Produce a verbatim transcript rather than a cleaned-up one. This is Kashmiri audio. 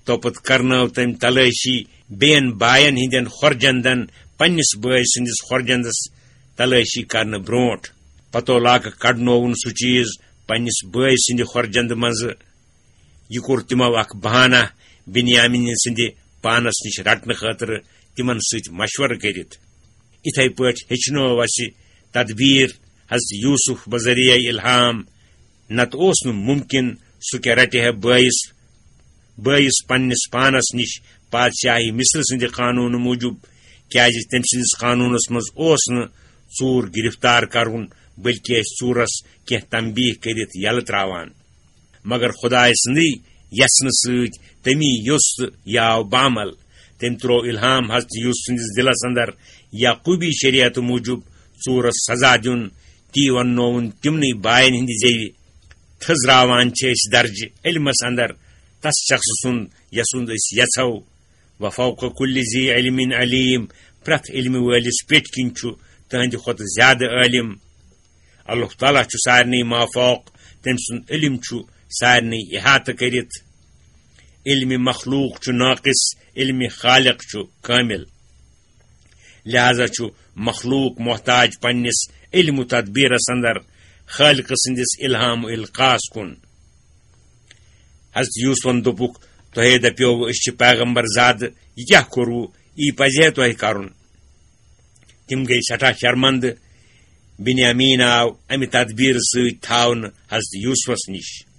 توپتہٕ کرنٲو تٔمۍ تلٲشی بیٚین باین ہٕنٛدٮ۪ن خۄرجندن پننِس بٲے سٕنٛدِس خۄرجندس تلٲشی کرنہٕ برونٛٹھ۔ پتہٕ علاقہٕ کڑنووُن سُہ چیز پننِس بٲے سٕنٛدِ خۄرجندٕ منٛزٕ۔ یہِ کوٚر تِمو اکھ بہانہ بنیامین سٕنٛدِ پانس نِش رٹنہٕ خٲطرٕ تِمن سۭتۍ مشورٕ کٔرِتھ۔ اِتھے پٲٹھۍ ہیٚچھنٲو اسہِ تدبیر حضرت یوسف بذریعہ الہام۔ نتہٕ اوس نہٕ ممکن سُہ کیٛاہ رٹہِ ہے بٲیِس، بٲیِس پننِس پانس نِش پادشاہی مصر سٕنٛدِ قانوٗنہٕ موٗجوٗب، کیٛازِ تٔمۍ سٕنٛدِس قانوٗنس منٛز اوس نہٕ ژوٗر گرفتار کرُن، بلکہِ ٲسۍ ژوٗرس کینٛہہ تنبیہ کٔرِتھ یلہٕ تراوان۔ مگر خدایہِ سٕنٛدٕے یژھنہٕ سۭتۍ تٔمی یوٚژھ تہٕ یہِ آو بعمل۔ تٔمۍ ترٛوو الہام حضرت یوسف سٕنٛدِس دِلس اندر یعقوبی شریعتہٕ موٗجوٗب ژوٗرس سزا دیُن۔ تی وننووُن تِمنٕے باین ہٕنٛدِ زیوِ۔ تھٔزراوان چھِ أسۍ درجہِ علمس اندر تس شخص سُنٛد یسُنٛد أسۍ یژھو۔ وفوق کل ذی علم علیم، پرٛٮ۪تھ علمہٕ وٲلِس پیٚٹھۍ کِنۍ چھُ تٕہنٛدِ کھۄتہٕ زیادٕ عٲلم۔ اللہ تعالیٰ چھُ سارنٕے مافوق، تٔمۍ سُنٛد علم چھُ سارنٕے احاطہٕ کٔرِتھ۔ علم مخلوق چھُ ناقص، علم خالق چھُ کامل۔ لہذا چھُ مخلوق محتاج پننِس علم و تدبیرس اندر خالق سٕنٛدِس الہام و القاس کُن۔ حضرت یوسفن دوٚپُکھ، "تۄہے دپیووٕ أسۍ چھِ پیغمبر زادٕ، یہِ کیٛاہ کوٚروٕ؟ یی پزِ ہے تۄہہِ کرُن۔" تِم گٔے سٮ۪ٹھاہ شرمندٕ۔ بنیامین آو امہِ تدبیرٕ سۭتۍ تھاونہٕ حضرت یوسفس نِش۔